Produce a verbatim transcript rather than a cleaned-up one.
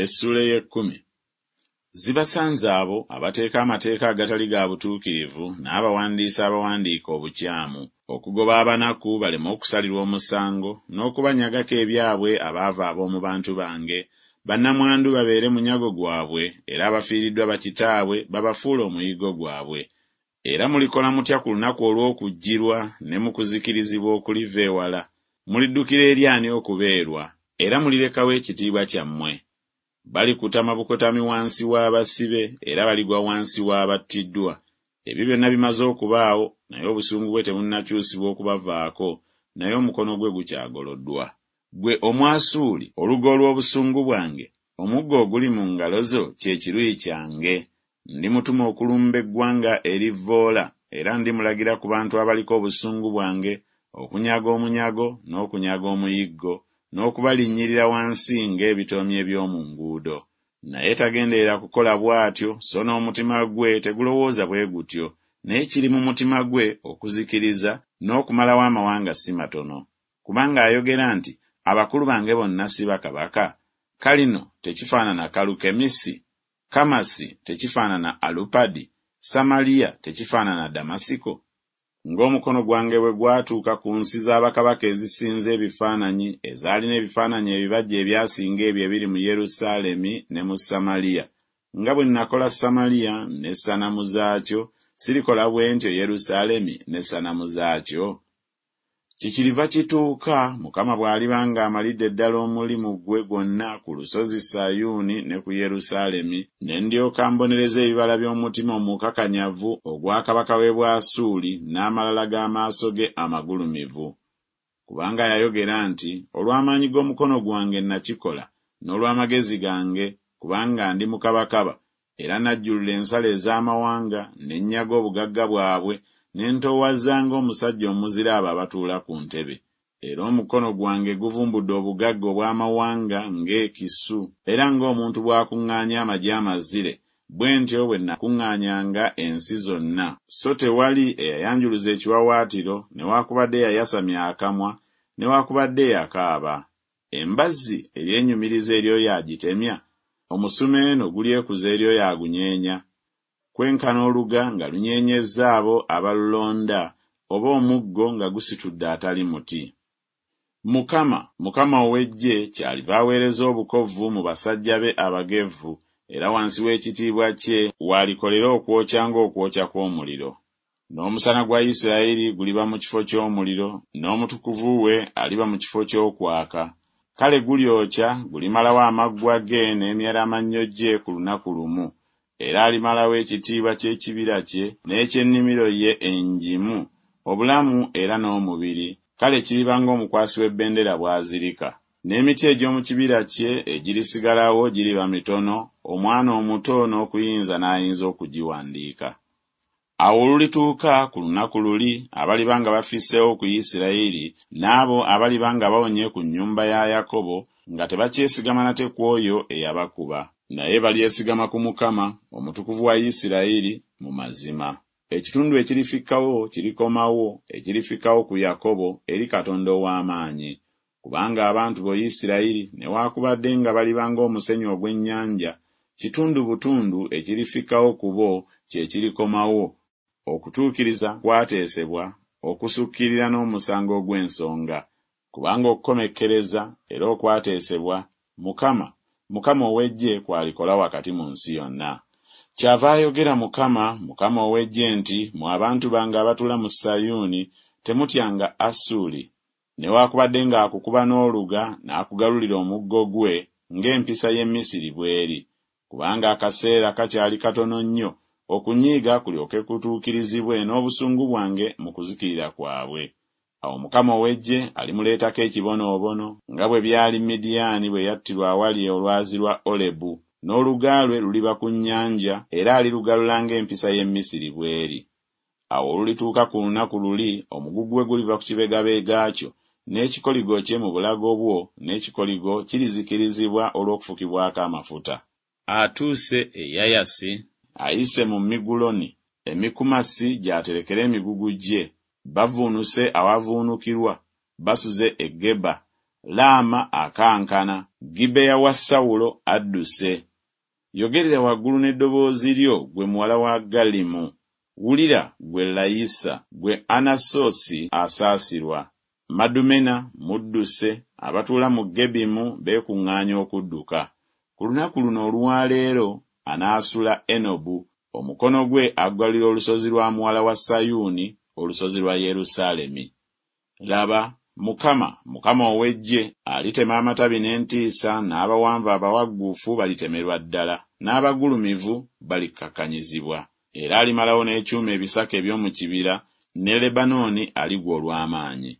Essuula ey'ekkumi. Zibasanze abo abateeka amateeka agatali ga butuukirivu n'abawandiisi abawandiika obukyamu, okugoba abanaku baleme okusalirwa omusango, n'okubanyagako ebyabwe abaavu ab'omu bantu bange, bannamwandu babeere munyago gwabwe, era abafiiriddwa bakitaabwe babafuule omuyiggo gwabwe. Era mulikola mutya ku lunaku olw'okujjirwa ne mu kuzikirizibwa okuliva ewala? Muliddukira eri ani okubeerwa? Era mulirekawa ekitiibwa kyammwe? Balikutama bukotami wansi w'abasibe, era baligwa wansi w'abattiddwa. Ebyo byonna bimaze okubaawo, naye obusungu bwe tebunnakyusibwa okubavaako, naye omukono gwe gukyagoloddwa. Ggwe Omwasuuli, oluga olw'obusungu bwange, omuggo oguli mu ngalo zo kye kiruyi kyange. Ndimutuma okulumba eggwanga erivvoola, era ndimulagira ku bantu abaliko obusungu bwange, okunyaga omunyago n'okunyaga omuyiggo, n'okubalinnyirira wansi ng'ebitoomi eby'omu nguudo. Naye tagenderera kukola bw'atyo, so n'omutima gwe tegulowooza bwe gutyo, naye kiri mu mutima gwe okuzikiriza n'okumalawo amawanga si matono. Kubanga ayogera nti, Abakulu bange bonna si bakabaka? Kalino tekifaanana Kalukemisi? Kamasi tekifaanana Alupadi? Samaliya tekifaanana Damasiko? Ng'omukono gwange bwe gwatuuka ku nsi za bakabaka ezisinza ebifaananyi, ezaalina ebifaananyi ebibajje ebyasinga ebyo ebiri mu Yerusaalemi ne mu Samaliya, nga bwe nakola Samaliya n'essanamu zaakyo, sirikola bwe ntyo Yerusaalemi n'essanamu zaakyo? Kyekyiriva kituuka, Mukama bw'aliba ng'amalidde ddala omulimu gwe gwonna ku lusozi Sayuuni ne ku Yerusaalemi, ne ndyoka mbonereza ebibala by'omutima omukakanyavu ogwa kabaka w'e Bwasuuli n'amalala g'amaaso ge amagulumivu. Kubanga yayogera nti, Olw'amaanyi g'omukono gwange nakikola, n'olw'amagezi gange, kubanga ndi mukabakaba, era najjulula ensalo ez'amawanga, ne nnyaga obugagga bwabwe, ne ntoowaza ng'omusajja omuzira abo abatuula ku ntebe. Era omukono gwange guvumbudde obugagga obw'amawanga ng'ekisu, era ng'omuntu bw'akuŋŋaanya amagi amazire, bwe ntyo bwe nakuŋŋaanyanga ensi zonna, so tewali eyayanjuluza ekiwaawaatiro, newaakubadde eyayasamya akamwa, newaakubadde eyakaaba. Embazzi eryenyumiriza eri oyo agitemya? Omusumeeno gulyekuza eri oyo agunyeenya? Kwenkana oluga nga lunyeenyezza abo abalulonda, oba omuggo nga gusitudde atali muti. Mukama, Mukama ow'eggye kyaliva aweereza obukovvu mu basajja be abagevvu, era wansi w'ekitiibwa kye w'alikolera okwokya ng'okwokya kw'omuliro. N'omusana gwa Isirayiri guliba mu kifo ky'omuliro, n'omutukuvu we aliba mu kifo ky'okwaka. Kale gulyokya, gulimalawo amaggwa ge n'emyeramannyo gye ku lunaku lumu. Era alimalawo ekitiibwa ky'ekibira kye n'eky'ennimiro ye engimu, obulamu era n'omubiri, kale kiriba ng'omukwasi w'ebbendera bw'azirika. N'emiti egy'omu kibira kye egirisigalawo giriba mitono, omwana omuto n'okuyinza n'ayinza okugiwandiika. Awo olulituuka ku lunaku luli, abaliba nga bafisseewo ku Isirayiri, n'abo abaliba nga bawonye ku nnyumba ya Yakobo, nga tebakyesigama nate ku oyo eyabakuba. Naye balyesigama ku Mukama, Omutukuvu wa Isirayiri, mu mazima. Ekitundu ekirifikkawo kirikomawo, ekirifikkawo ku Yakobo, eri Katonda ow'amaanyi. Kubanga abantu bo Isirayiri, newaakubadde nga baliba ng'omusenyu ogw'ennyanja, kitundu butundu ekirifikkawo ku bo kye kirikomawo, okutuukiriza kwateesebwa, okusukkirira n'omusango ogw'ensonga. Kubanga okukomekkereza era okwateesebwa, Mukama, Mukama ow'eggye kw'alikola wakati mu nsi yonna. Kyava ayogera Mukama, Mukama ow'eggye nti, Mmwe abantu bange abatuula mu Sayuuni, temutyanga Asuli, newaakubadde ng'akukuba n'oluga n'akugalulira omuggo gwe, ng'empisa y'e Misiri bw'eri. Kubanga akaseera kakyali katono nnyo, okunyiiga kulyoke kutuukirizibwe n'obusungu bwange mu kuzikirira kwabwe. Awo Mukama ow'eggye alimuleetako ekibonoobono, nga bwe byali Midiyaani bwe yattirwa awali olwazi lwa Olebu, n'oluga lwe luliba ku nnyanja, era alirugalula ng'empisa y'e Misiri bw'eri. Awo olulituuka ku lunaku luli, omugugu gwe guliva ku kibegabega kyo, n'ekikoligo kye mu bulago bwo, n'ekikoligo kirizikirizibwa olw'okufukibwako amafuta. Atuuse e Yayasi, ayise mu Miguloni, e Mikumasi gy'aterekera emigugu gye. Bavvuunuse awavuunukirwa, basuze e Geba, Laama akankana, Gibeya wa Sawulo adduse. Yogerera waggulu n'eddoboozi lyo, ggwe muwala wa Gallimu! Wulira, ggwe Layisa! Ggwe Anasosi asaasirwa! Madumena mudduse, abatuula mu Gebimu beekuŋŋaanya okudduka. Ku lunaku luno olwa leero anaasula Enobu, omukono gwe aggalira olusozi lwa muwala wa Sayuuni, olusozi lwa Yerusaalemi. Laba, Mukama, Mukama ow'eggye, alitema amatabi n'entiisa, n'abawanvu abawagguufu balitemerwa ddala, n'abagulumivu balikkakkanyizibwa. Era alimalawo n'ekyuma ebisaka eby'omu kibira, ne Lebanooni aligwa olw'amaanyi.